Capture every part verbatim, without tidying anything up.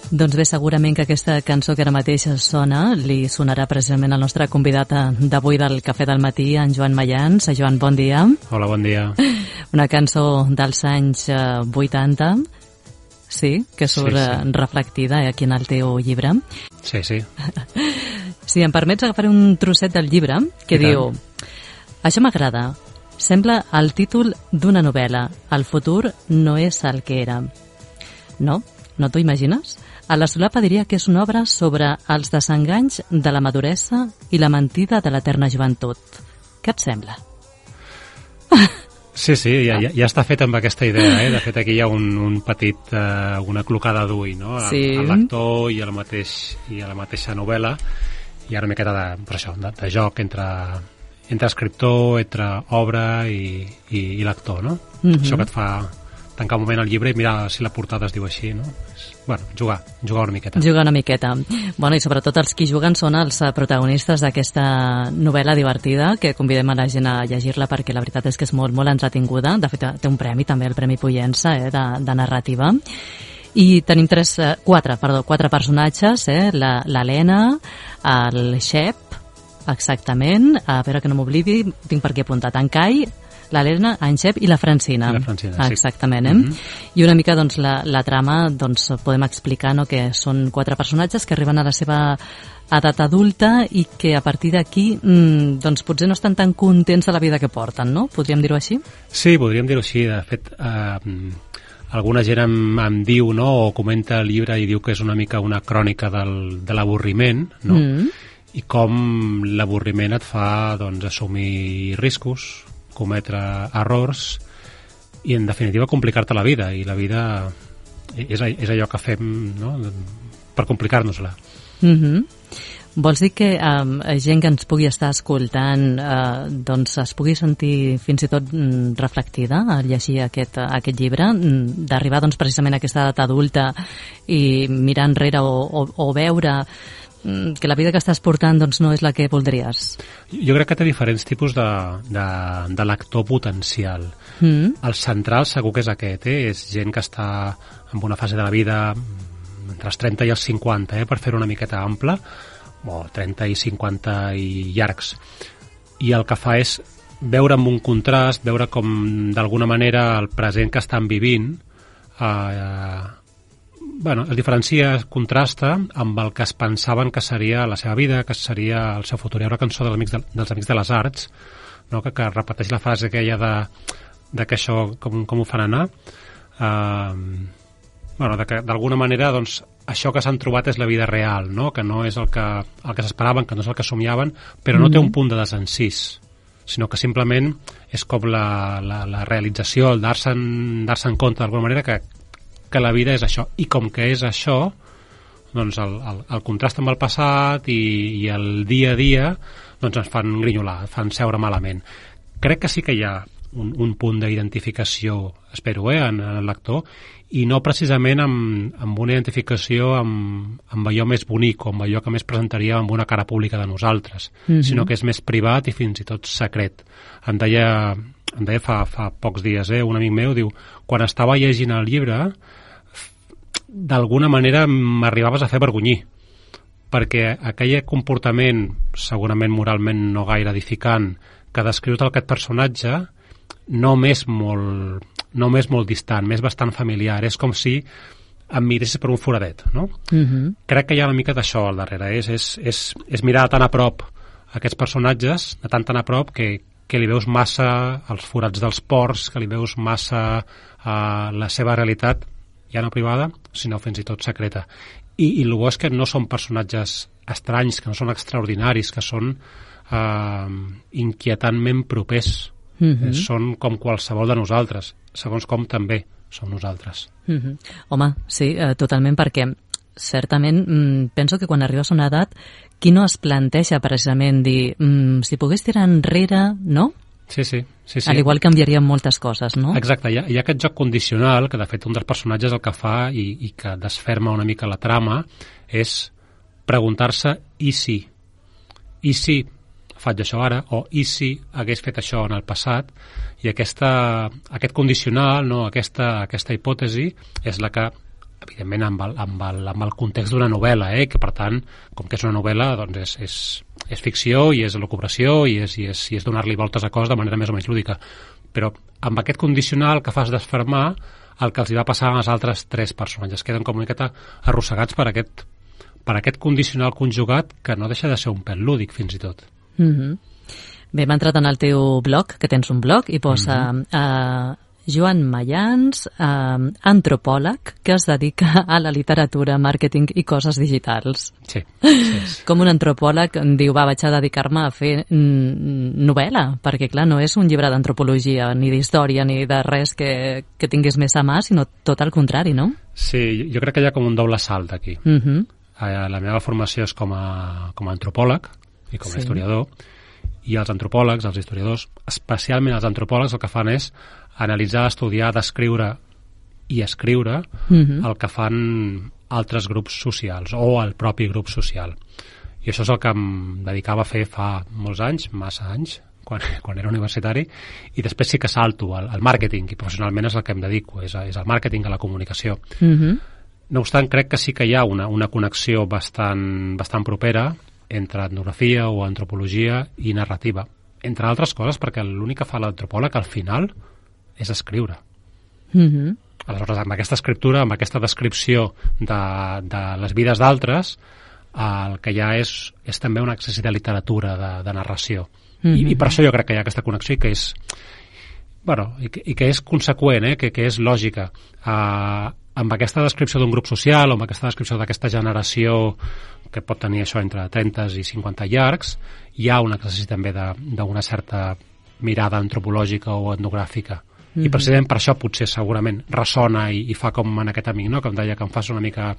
Doncs bé, segurament que aquesta cançó que ara mateix sona li sonarà precisament al nostre convidat d'avui del Cafè del Matí, en Joan Mayans. Joan, bon dia. Hola, bon dia. Una cançó dels anys vuitanta, sí, que surt sí, sí. reflectida aquí en el teu llibre. Sí, sí. Si em permets agafar un trosset del llibre que I diu tant. Això m'agrada, sembla el títol d'una novel·la, el futur no és el que era. No? No t'ho imagines? A la solapa diria que és una obra sobre els desenganys de la maduresa i la mentida de l'eterna joventut. Què et sembla? Sí, sí, ja, ja, ja està fet amb aquesta idea, eh? De fet, aquí hi ha un, un petit, eh, una clocada d'ull, no? Sí. Al lector i a la, mateix, i a la mateixa novel·la. Hi ha una miqueta de, per això, de, de joc entre, entre escriptor, entre obra i, i, i lector, no? Mm-hmm. Això que et fa tancar un moment el llibre i mirar si la portada es diu així, no? És, bueno, jugar, jugar una miqueta. Jugar una miqueta. Bueno, i sobretot els qui juguen són els protagonistes d'aquesta novel·la divertida, que convidem a la gent a llegir-la perquè la veritat és que és molt, molt entretinguda. De fet, té un premi també, el Premi Pollença, eh, de, de narrativa. I tenim tres, eh, quatre, perdó, quatre personatges, eh? l'Helena, el Shep, exactament, a veure que no m'oblidi, tinc per aquí apuntat, en Kai, l'Helena, en Xep i la Francina. La Francina, sí. Exactament, eh? Mm-hmm. I una mica, doncs, la, la trama, doncs, podem explicar, no?, que són quatre personatges que arriben a la seva edat adulta i que a partir d'aquí, mmm, doncs, potser no estan tan contents de la vida que porten, no? Podríem dir-ho així? Sí, podríem dir-ho així. De fet, eh, alguna gent em, em diu, no?, o comenta el llibre i diu que és una mica una crònica del, de l'avorriment, no? Mm. I com l'avorriment et fa, doncs, assumir riscos, cometre errors i, en definitiva, complicar-te la vida. I la vida és, és allò que fem, no?, per complicar-nos-la. Mm-hmm. Vols dir que eh, gent que ens pugui estar escoltant eh, doncs es pugui sentir fins i tot mm, reflectida al llegir aquest, aquest llibre, mm, d'arribar doncs, precisament a aquesta edat adulta i mirar enrere o, o, o veure que la vida que estàs portant doncs, no és la que voldries? Jo crec que té diferents tipus de, de, de lector potencial. Mm. El central segur que és aquest, eh? És gent que està en una fase de la vida entre els trenta i els cinquanta, eh? Per fer-ho una miqueta ampla, o trenta i cinquanta i llargs. I el que fa és veure amb un contrast, veure com d'alguna manera el present que estan vivint eh, bueno, es diferencia, es contrasta amb el que es pensaven que seria la seva vida, que seria el seu futur. Hi ha una cançó dels Amics de, dels Amics de les Arts, no?, que, que repeteix la frase aquella de, de que això, com, com ho fan anar. Uh, bueno, de que d'alguna manera, doncs, això que s'han trobat és la vida real, no?, que no és el que, el que s'esperaven, que no és el que somiaven, però no mm-hmm. té un punt de desencís, sinó que simplement és com la, la, la realització, el dar-se'n dar-se en compte d'alguna manera que que la vida és això, i com que és això, doncs el, el, el contrast amb el passat i, i el dia a dia doncs ens fan grinyolar, fan seure malament. Crec que sí que hi ha un, un punt d'identificació, espero, eh, en, en el lector, i no precisament amb, amb una identificació amb, amb allò més bonic o amb allò que més presentaria amb una cara pública de nosaltres, mm-hmm. sinó que és més privat i fins i tot secret. Em deia, em deia fa, fa pocs dies, eh, un amic meu, diu, quan estava llegint el llibre, d'alguna manera m'arribaves a fer vergonyir, perquè aquell comportament, segurament moralment no gaire edificant, que descrius d'aquest personatge, no m'és molt, no m'és molt distant, m'és bastant familiar. És com si em miressis per un foradet, no? Mm-hmm. Crec que hi ha una mica d'això al darrere. És, és, és, és mirar tan a prop aquests personatges, de tan tan a prop, que, que li veus massa els forats dels pors, que li veus massa uh, la seva realitat, ja no privada, sinó fins i tot secreta. I, i el bo és que no són personatges estranys, que no són extraordinaris, que són eh, inquietantment propers. Mm-hmm. Són com qualsevol de nosaltres, segons com també som nosaltres. Mm-hmm. Home, sí, eh, totalment, perquè certament mm, penso que quan arribes a una edat, qui no es planteja precisament dir mm, si pogués tirar enrere, no? Sí, sí, sí, sí. Al igual canviarien moltes coses, no? Exacte, hi ha, hi ha aquest joc condicional que de fet un dels personatges el que fa i, i que desferma una mica la trama és preguntar-se i si, i si faig això ara, o i si hagués fet això en el passat, i aquesta, aquest condicional, no, aquesta, aquesta hipòtesi és la que evidentment amb el, amb el, amb el context d'una novel·la, eh? Que per tant, com que és una novel·la, doncs és, és, és ficció i és elucubració i és, i és, i és donar-li voltes a cos de manera més o menys lúdica. Però amb aquest condicional que fas desfermar el que els hi va passar als altres tres personatges. Queden com una miqueta arrossegats per aquest, per aquest condicional conjugat que no deixa de ser un pèl lúdic, fins i tot. Mm-hmm. Bé, m'ha entrat en el teu blog, que tens un blog, i posa mm-hmm. uh, Joan Mayans, uh, antropòleg, que es dedica a la literatura, màrqueting i coses digitals. Sí. sí, sí. Com un antropòleg diu, va, vaig a dedicar-me a fer mm, novel·la, perquè clar, no és un llibre d'antropologia, ni d'història, ni de res que, que tinguis més a mà, sinó tot el contrari, no? Sí, jo crec que hi ha com un doble salt aquí. Mm-hmm. La meva formació és com a, com a antropòleg i com a sí. historiador, i els antropòlegs, els historiadors, especialment els antropòlegs, el que fan és analitzar, estudiar, descriure i escriure mm-hmm. el que fan altres grups socials o el propi grup social. I això és el que em dedicava a fer fa molts anys, massa anys, quan, quan era universitari, i després sí que salto al, al màrqueting, i professionalment és el que em dedico, és, a, és al màrqueting, a la comunicació. Mm-hmm. No obstant, crec que sí que hi ha una, una connexió bastant, bastant propera entre etnografia o antropologia i narrativa. Entre altres coses, perquè l'únic que fa l'antropòleg al final és escriure. Mm-hmm. Aleshores, amb aquesta escriptura, amb aquesta descripció de, de les vides d'altres, el que hi ha és, és també un exercici de literatura, de, de narració. Mm-hmm. I, I per això jo crec que hi ha aquesta connexió i que és, bueno, i que, i que és conseqüent, eh? que, que és lògica. Uh, amb aquesta descripció d'un grup social o amb aquesta descripció d'aquesta generació que pot tenir això entre trenta i cinquanta llargs, hi ha un exercici també d'una certa mirada antropològica o etnogràfica. Mm-hmm. I precisament per això potser segurament ressona i, i fa com en aquest amic, no? Que em deia que em fas una mica,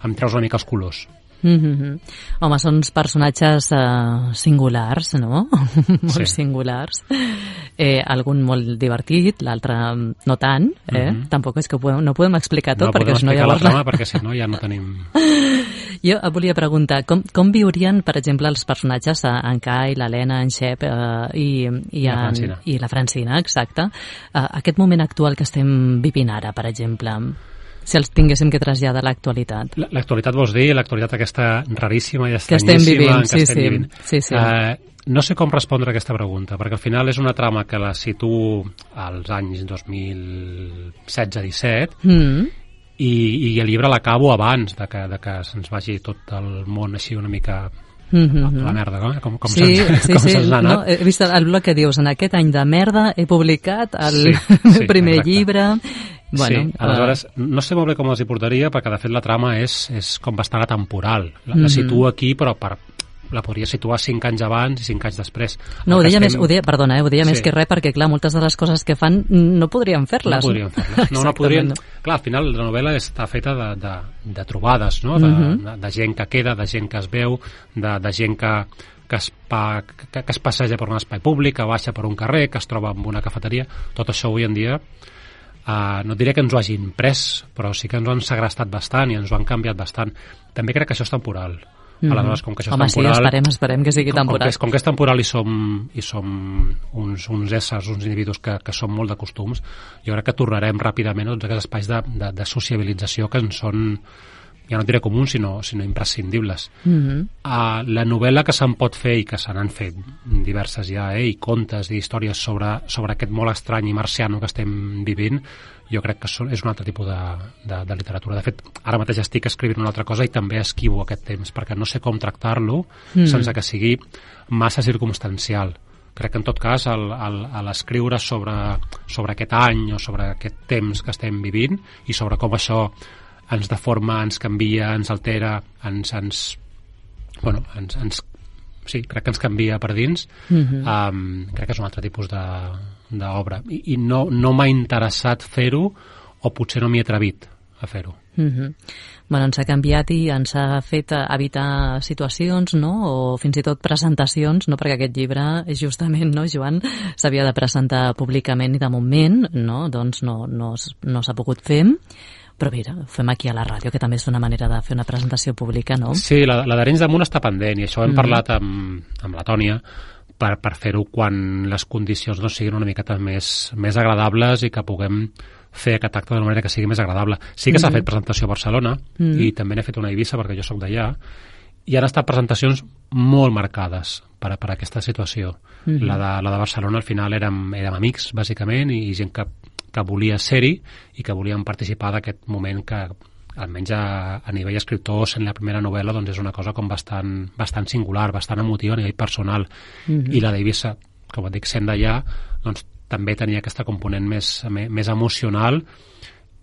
em treus una mica els colors. Mm-hmm. Home, són uns personatges uh, singulars, no? molt sí. singulars. Eh, algun molt divertit, l'altre no tant, eh? Mm-hmm. Tampoc és que ho podem, no podem explicar tot, no, perquè si no llavors... la trama, perquè si no ja no tenim... Jo et volia preguntar, com, com viurien, per exemple, els personatges, en Kai, l'Helena, en Xep eh, i, i, la en, i la Francina, exacte, eh, aquest moment actual que estem vivint ara, per exemple, si els tinguéssim que traslladar a l'actualitat. L'actualitat vols dir, l'actualitat aquesta raríssima i que estem vivint, que sí, estem sí, vivint. sí, sí. Uh, no sé com respondre a aquesta pregunta, perquè al final és una trama que la situo als anys dos mil setze disset, mm. i, i el llibre l'acabo abans de que, de que se'ns vagi tot el món així una mica mm-hmm. a la merda, no? Com, com sí, se'ns sí, com sí. se'ns ha anat. No, he vist el blog que dius, en aquest any de merda he publicat el sí, sí, primer exacte. llibre. Bueno, sí, aleshores, uh... no sé molt bé com els hi portaria, perquè de fet la trama és, és com bastant atemporal. La, mm-hmm. la situo aquí, però per, la podria situar cinc anys abans i cinc anys després. No, ho deia estem... més, ho deia, perdona, eh, ho deia sí. més que res, perquè clar, moltes de les coses que fan no podrien fer-les. No podrien fer-les. No, no podrien... Clar, al final la novel·la està feta de, de, de trobades, no? De, mm-hmm. de, de gent que queda, de gent que es veu, de, de gent que, que, es pa, que, que es passeja per un espai públic, que baixa per un carrer, que es troba en una cafeteria. Tot això avui en dia Uh, no diré que ens ho hagin pres, però sí que ens ho han segrestat bastant i ens ho han canviat bastant. També crec que això és temporal. Mm-hmm. Aleshores, com que això Home, és temporal... sí, esperem, esperem que sigui temporal. Com, com, que, és, com que és temporal i som, i som uns, uns éssers, uns individus que, que som molt de costums, jo crec que tornarem ràpidament a tots aquests espais de, de, de sociabilització que ens són, ja no diré comuns, sinó, sinó imprescindibles. Mm-hmm. Uh, la novel·la que se'n pot fer, i que se n'han fet diverses ja, eh, i contes i històries sobre, sobre aquest molt estrany i marciano que estem vivint, jo crec que és un altre tipus de, de, de literatura. De fet, ara mateix estic escrivint una altra cosa i també esquivo aquest temps, perquè no sé com tractar-lo mm. sense que sigui massa circumstancial. Crec que en tot cas l'escriure sobre, sobre aquest any o sobre aquest temps que estem vivint i sobre com això ens deforma, ens canvia, ens altera, ens, ens, bueno, ens, ens, sí, crec que ens canvia per dins. Mm-hmm. um, crec que és un altre tipus d'obra. I, i no, no m'ha interessat fer-ho, o potser no m'hi he atrevit a fer-ho. Mm-hmm. Bueno, ens ha canviat i ens ha fet evitar situacions, no?, o fins i tot presentacions, no?, perquè aquest llibre, justament, no, Joan, s'havia de presentar públicament i de moment, no?, doncs no, no, no s'ha pogut fer. Però mira, ho fem aquí a la ràdio, que també és una manera de fer una presentació pública, no? Sí, la, la d'Arenys de Munt està pendent, i això hem mm. parlat amb, amb la Tònia, per, per fer-ho quan les condicions no siguin una miqueta més, més agradables i que puguem fer aquest acte d'una manera que sigui més agradable. Sí que s'ha Mm-hmm. fet presentació a Barcelona Mm. i també n'he fet una a Eivissa perquè jo sóc d'allà, i han estat presentacions molt marcades per, per aquesta situació. Mm-hmm. La, de, la de Barcelona al final érem, érem amics, bàsicament, i gent que, que volia ser-hi i que volien participar d'aquest moment que, almenys a, a nivell escriptor, sent la primera novel·la, doncs és una cosa com bastant, bastant singular, bastant emotiva a nivell personal. Mm-hmm. I la d'Eivissa, com et dic, sent d'allà, doncs també tenia aquesta component més, més emocional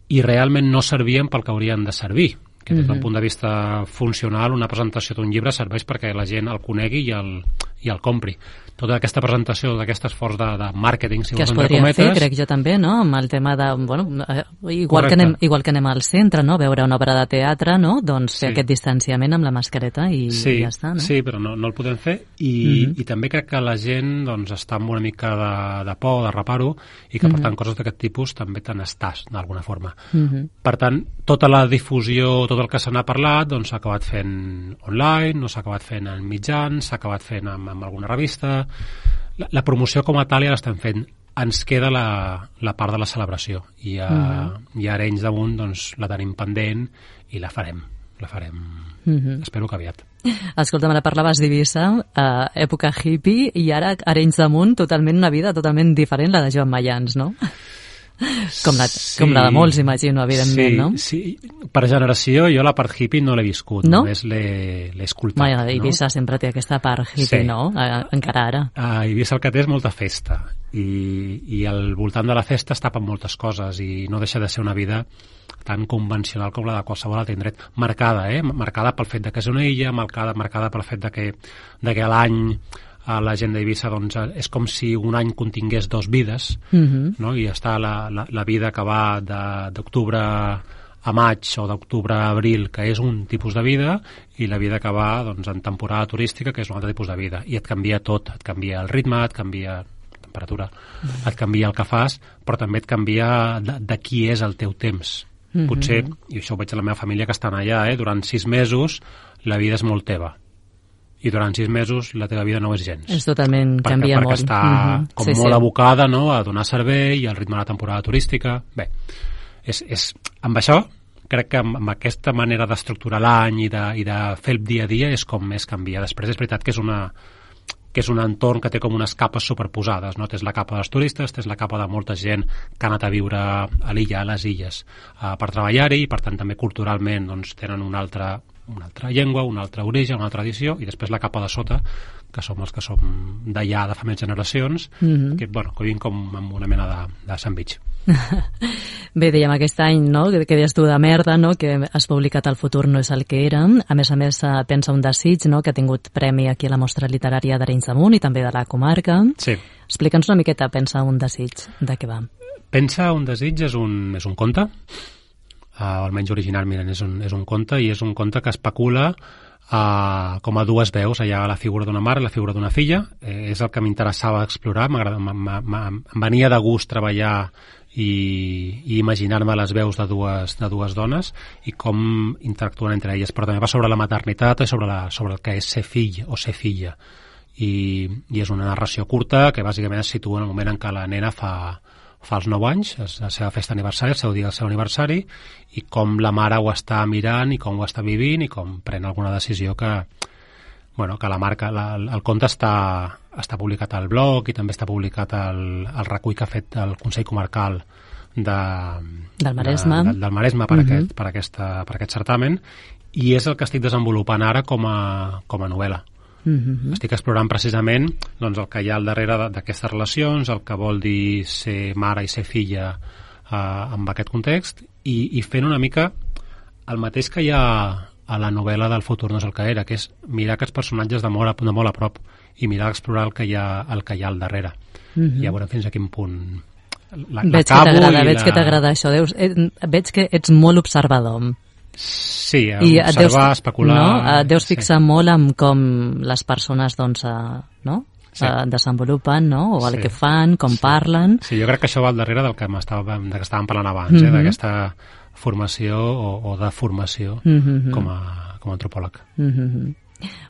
i realment no servien pel que haurien de servir, que des d'un punt de vista funcional una presentació d'un llibre serveix perquè la gent el conegui i el, i el compri. Tota aquesta presentació, d'aquest esforç de, de màrqueting, si que es vols, entre podria cometes, fer, crec jo també, no? Amb el tema de, bueno, eh, igual Correcte. que, anem, igual que anem al centre, no? Veure una obra de teatre, no? Doncs fer Sí. aquest distanciament amb la mascareta i, sí, i ja està, no? Sí, però no, no el podem fer i, Mhm. i també crec que la gent doncs, està amb una mica de, de por, de reparo, i que per Mhm. tant coses d'aquest tipus també te n'estàs d'alguna forma. Mhm. Per tant, tota la difusió, tot el que se n'ha parlat, doncs s'ha acabat fent online, no s'ha acabat fent en mitjans, s'ha acabat fent amb, amb alguna revista. La, la promoció com a tal ja l'estem fent. Ens queda la, la part de la celebració i a, Mhm. i a Arenys de Munt doncs, la tenim pendent i la farem. La farem, Mhm. espero que aviat. Escolta'm, ara parlaves d'Eivissa, eh, època hippie, i ara Arenys de Munt, totalment una vida totalment diferent, la de Joan Mayans, no? Com la, Sí. com la de molts, imagino, evidentment, sí, no? Sí, per generació jo la part hippie no l'he viscut, No? només l'he l'he escoltat. Mai, no? Eivissa sempre té aquesta part hippie, Sí. no? Eh, encara ara. A Eivissa el que té és molta festa i, i al voltant de la festa es tapen moltes coses i no deixa de ser una vida tan convencional com la de qualsevol altre indret, marcada, eh? marcada pel fet de que és una illa, marcada, marcada pel fet de que, de que l'any a la gent d'Eivissa doncs, és com si un any contingués dos vides, Mhm. no? I està la, la, la vida que va de- d'octubre a maig o d'octubre a abril, que és un tipus de vida, i la vida que va doncs, en temporada turística, que és un altre tipus de vida. I et canvia tot, et canvia el ritme, et canvia la temperatura, et canvia el que fas, però també et canvia de, de qui és el teu temps. Mhm. Potser, i això ho veig a la meva família que estan allà, eh? durant sis mesos la vida és molt teva. I durant sis mesos la teva vida no és gens. És totalment, perquè, canvia perquè molt. està Mhm. com Sí, molt sí. abocada, no?, a donar servei i al ritme de la temporada turística. Bé, és, és, amb això crec que amb, amb aquesta manera d'estructurar l'any i, de, i de fer el dia a dia és com més canvia. Després és veritat que és una que és un entorn que té com unes capes superposades, no? Tens la capa dels turistes, tens la capa de molta gent que ha anat a viure a l'illa, a les illes, uh, per treballar-hi, i per tant també culturalment doncs, tenen una altra, una altra llengua, un altre origen, una altra tradició, i després la capa de sota, que som els que som d'allà de fa més generacions, Mhm. que, bueno, que vivim com amb una mena de, de sandwich. Bé, dèiem aquest any, no?, que, que deies tu de merda, no?, que has publicat El futur no és el que era. A més a més, eh, pensa un desig, no?, que ha tingut premi aquí a la Mostra Literària d'Arenys de Munt i també de la comarca. Sí. Explica'ns una miqueta, pensa un desig, de què va. Pensa un desig és un, és un conte, uh, almenys originalment és un, és un conte, i és un conte que especula uh, com a dues veus. Hi ha la figura d'una mare i la figura d'una filla. Eh, és el que m'interessava explorar, m'agrada- m- m- m- em venia de gust treballar i, i imaginar-me les veus de dues, de dues dones i com interactuen entre elles, però també va sobre la maternitat i sobre, la, sobre el que és ser fill o ser filla. I, i és una narració curta que bàsicament es situa en el moment en què la nena fa, fa els nou anys, és la seva festa d'aniversari, el seu dia del seu aniversari, i com la mare ho està mirant i com ho està vivint i com pren alguna decisió que, bueno, que la marca, la, el conte està, està publicat al blog i també està publicat al, al recull que ha fet el Consell Comarcal de, Del Maresme. de, de, del Maresme per, Mhm. aquest, per, aquesta, per aquest certamen, i és el que estic desenvolupant ara com a, com a novel·la. Mhm. Estic explorant precisament doncs, el que hi ha al darrere de- d'aquestes relacions, el que vol dir ser mare i ser filla eh, amb aquest context, i, i fent una mica el mateix que hi ha a la novel·la del futur no és el que era, que és mirar aquests personatges de molt a, de molt a prop i mirar d'explorar el que hi ha, el que hi ha al darrere. Mhm. I ja veurem fins a quin punt la, Veig que l'acabo t'agrada, i veig la... que t'agrada això. Deus, eh, veig que ets molt observador. Sí, I et observar, deus, especular... no? Et deus sí. fixar molt en com les persones doncs, eh, no? Sí. eh, desenvolupen, no? O el Sí. que fan, com Sí. parlen. Sí, jo crec que això va al darrere del que, m'estava, de que estàvem parlant abans, eh? Mhm. d'aquesta formació o, o de formació Mhm. com, a, com a antropòleg. Mhm.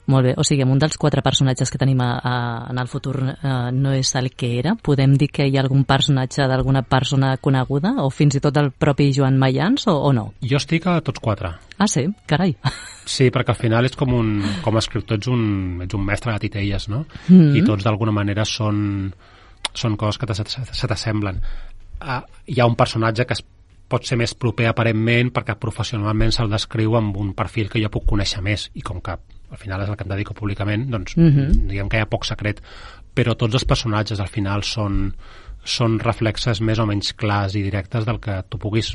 Molt bé, o sigui, un dels quatre personatges que tenim a, a, en el futur eh, no és el que era. Podem dir que hi ha algun personatge d'alguna persona coneguda o fins i tot el propi Joan Mayans o, o no? Jo estic a tots quatre. Ah, sí? Carai. Sí, perquè al final és com un, com a escriptor ets un, ets un mestre de titelles, no? Mm-hmm. I tots d'alguna manera són, són coses que se t'assemblen. Uh, hi ha un personatge que es pot ser més proper aparentment perquè professionalment se'l descriu amb un perfil que jo puc conèixer més i com que al final és el que em dedico públicament, doncs mm-hmm. diguem que hi ha poc secret, però tots els personatges al final són, són reflexes més o menys clars i directes del que tu puguis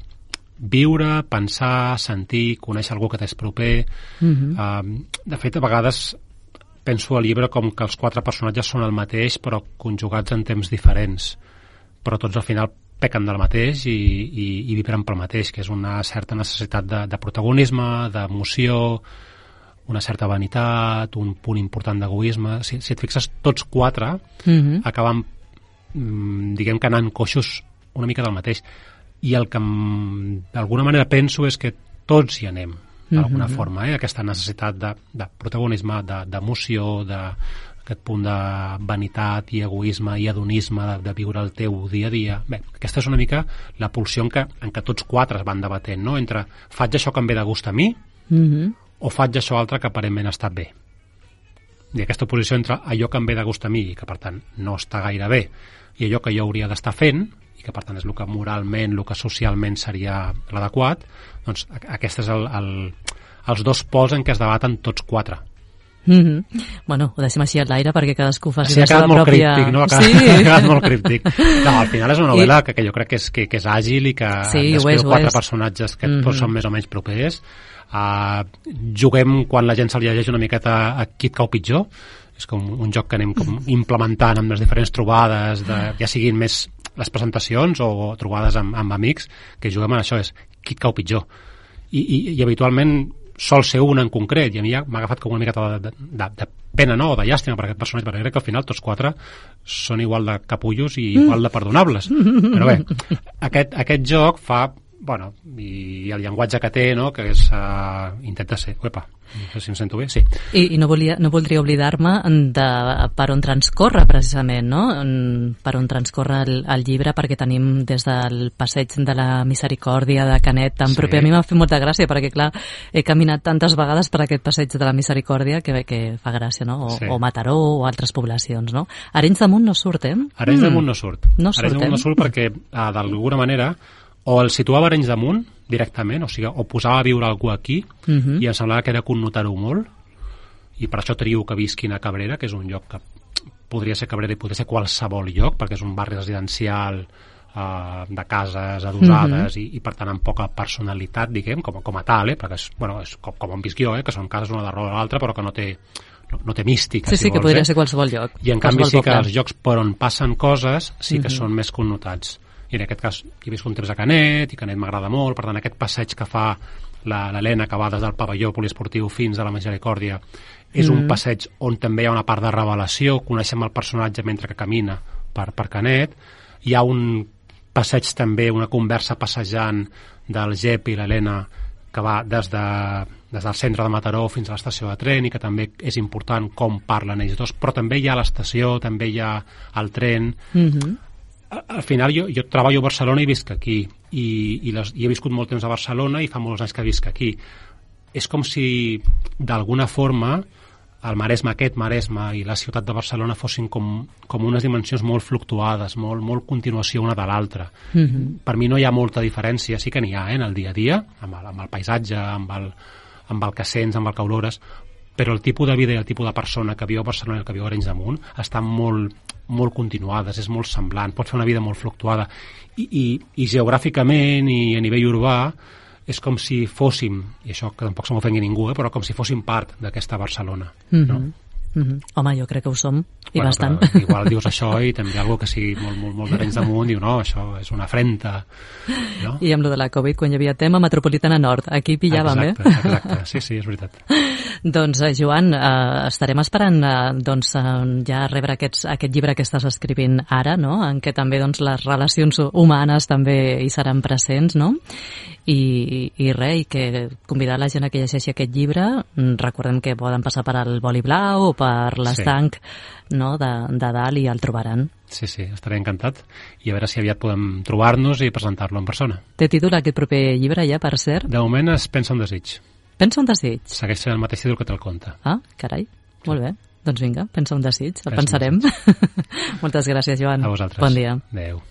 viure, pensar, sentir, conèixer algú que t'és proper. Mm-hmm. Uh, de fet, a vegades penso al llibre com que els quatre personatges són el mateix però conjugats en temps diferents, però tots al final pequen del mateix i, i, i vibren pel mateix, que és una certa necessitat de, de protagonisme, d'emoció, una certa vanitat, un punt important d'egoisme. Si, si et fixes, tots quatre mm-hmm. acaben, mm, diguem que anant coixos una mica del mateix. I el que d'alguna manera penso és que tots hi anem, d'alguna mm-hmm. forma, eh? Aquesta necessitat de, de protagonisme, de, d'emoció, de aquest punt de vanitat i egoisme i hedonisme de, de viure el teu dia a dia. Bé, aquesta és una mica la pulsió en què, en què tots quatre es van debatent, no? Entre faig això que em ve de gust a mi mm-hmm. o faig això altre que aparentment ha estat bé. I aquesta oposició entre allò que em ve de gust a mi i que per tant no està gaire bé i allò que jo hauria d'estar fent i que per tant és el que moralment, el que socialment seria l'adequat, doncs aquest és el, el, els dos pols en què es debaten tots quatre. Mm-hmm. Bueno, ho deixem així a l'aire perquè cadascú faci sí, la seva pròpia... Críptic, no? Ha quedat, sí. ha quedat molt críptic. No, al final és una novel·la I... que, que jo crec que és, que, que és àgil i que sí, descriu és, quatre personatges que mm-hmm. tots són més o menys propers. Uh, juguem quan la gent se li llegeix una miqueta a qui et cau pitjor. És com un joc que anem com implementant amb les diferents trobades, de, ja siguin més les presentacions o trobades amb, amb amics, que juguem en això, és qui et cau pitjor. I, i, i habitualment sol ser una en concret, i a mi ja m'ha agafat com una miqueta de, de, de pena, no?, o de llàstima per aquest personatge, perquè crec que al final tots quatre són igual de capullos i igual de perdonables. Però bé, aquest, aquest joc fa, bueno, i el llenguatge que té, no?, que és, uh, intenta ser, uepa, no sé si em sento bé, sí. I, i no, volia, no voldria oblidar-me de per on transcorre, precisament, no?, per on transcorre el, el llibre, perquè tenim des del passeig de la Misericòrdia de Canet tan sí. proper. A mi m'ha fet molta gràcia, perquè, clar, he caminat tantes vegades per aquest passeig de la Misericòrdia que, que fa gràcia, no?, o, sí. o Mataró o altres poblacions, no? Arenys de Munt no surt, eh? Arenys mm. de Munt no surt. No surt, Arenys de Munt no surt perquè, uh, d'alguna manera, o el situava a Arenys de Munt directament, o sigui, o posava a viure algú aquí uh-huh. i em semblava que era connotar-ho molt i per això trio que visquin a Cabrera, que és un lloc que podria ser Cabrera i podria ser qualsevol lloc, perquè és un barri residencial uh, de cases adossades uh-huh. i, i per tant amb poca personalitat, diguem, com, com a tal, eh? Perquè és, bueno, és com, com on visc jo, eh? Que són cases una darrere l'altra però que no té no, no té mística, sí, si sí, vols, que podria eh? ser qualsevol lloc. I en canvi sí que els llocs per on passen coses sí que uh-huh. són més connotats. I en aquest cas he vist un temps a Canet i Canet m'agrada molt, per tant aquest passeig que fa l'Helena que va des del pavelló poliesportiu fins a la Misericòrdia és mm. un passeig on també hi ha una part de revelació, coneixem el personatge mentre que camina per, per Canet, hi ha un passeig també, una conversa passejant del Jep i l'Helena que va des, de, des del centre de Mataró fins a l'estació de tren i que també és important com parlen ells dos, però també hi ha l'estació, també hi ha el tren. Mm-hmm. Al final jo, jo treballo a Barcelona i visc aquí i, i, les, i he viscut molt temps a Barcelona i fa molts anys que visc aquí. És com si d'alguna forma el Maresme, aquest Maresme i la ciutat de Barcelona fossin com, com unes dimensions molt fluctuades, molt, molt continuació una de l'altra. Mm-hmm. Per mi no hi ha molta diferència, sí que n'hi ha eh, en el dia a dia, amb el, amb el paisatge, amb el, amb el que sents, amb el que olores, però el tipus de vida i el tipus de persona que viu a Barcelona i el que viu a Arenys de Munt estan molt, molt continuades, és molt semblant, pot fer una vida molt fluctuada i, i, i geogràficament i a nivell urbà és com si fóssim, i això que tampoc se m'ofengui ningú, eh, però com si fóssim part d'aquesta Barcelona. Mm-hmm. No? Mm-hmm. Home, jo crec que ho som, i bueno, bastant. Igual dius això i també algú que sigui molt, molt, molt d'Arenys de Munt diu, no, això és una afrenta. No? I amb lo de la Covid, quan hi havia tema Metropolitana Nord, aquí pillàvem, exacte, eh? Exacte, sí, sí, és veritat. Doncs, eh, Joan, eh, estarem esperant eh, doncs, eh, ja rebre aquests, aquest llibre que estàs escrivint ara, no?, en què també doncs, les relacions humanes també hi seran presents, no? I, i res, i que convidar la gent a que llegeixi aquest llibre. Recordem que poden passar per al Boli Blau o per l'estanc, sí, no, de, de dalt, i el trobaran. Sí, sí, estaré encantat. I a veure si aviat podem trobar-nos i presentar-lo en persona. Té títol aquest proper llibre ja, per cert? De moment es Pensa un desig. Pensa un desig? Segueix sent el mateix títol que te'l conta. Ah, carai, sí. Molt bé. Doncs vinga, pensa un desig, el Pensa pensarem. Moltes gràcies, Joan. A vosaltres. Bon dia. Adéu.